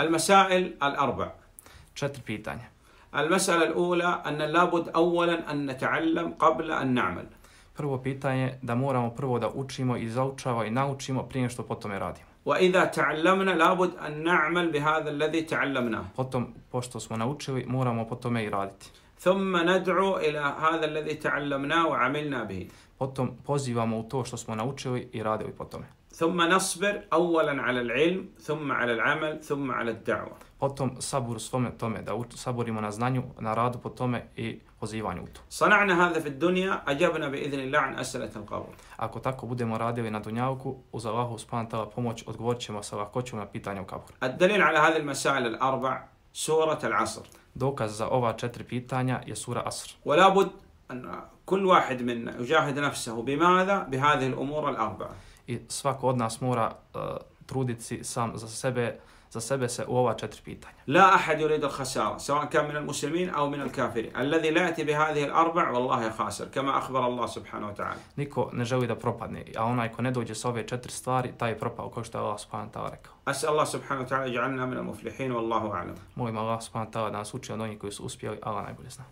المسائل الأربع. 4 pitanja. المسألة الأولى أن لابد أولا أن نتعلم قبل أن نعمل. Prvo pitanje da moramo prvo da učimo i zaučavamo i naučimo prije što potom radimo. وإذا تعلمنا لابد أن نعمل بهذا الذي تعلمناه. Potom, pošto smo naučili, moramo po tome i raditi. ثم ندعو إلى هذا الذي تعلمناه وعملنا به. Potom pozivamo u to što smo naučili i radili po tome. ثم نصبر أولا على العلم ثم على العمل ثم على الدعوة. Potom sabur svome tome, da saburimo na znanju, na radu po tome i pozivanju u to. صنعنا هذا في الدنيا أجبنا بإذن الله عن أسئلة القبر. Ako tako budemo radili na dunjavku, uz Allahu subhanahu wa ta'ala pomoć odgovorit ćemo sa lahkoćom na pitanja u kaburu. الدليل على هذه المسائل الأربع سورة العصر. Dokaz za ova 4 pitanja je sura Asr. ولا بد أن كل واحد منا يجاهد نفسه بماذا؟ بهذه الأمور الأربعة. I svako od nas mora truditi sam za sebe se u ova 4 pitanja. لا أحد يريد الخسارة سواء كان من المسلمين أو من الكافرين. الذي لا يأتي بهذه الأربع والله خاسر كما أخبر الله سبحانه وتعالى. Niko ne želi da propadne, a onaj ko ne dođe sa ove 4 stvari, taj je propao, kao što je Allah subhanahu wa ta'ala rekao. أسأل الله سبحانه وتعالى يجعلنا من المفلحين والله أعلم. Molim Allah subhanahu wa ta'ala da nas uči od onih koji su uspjeli, Allah najbolje zna.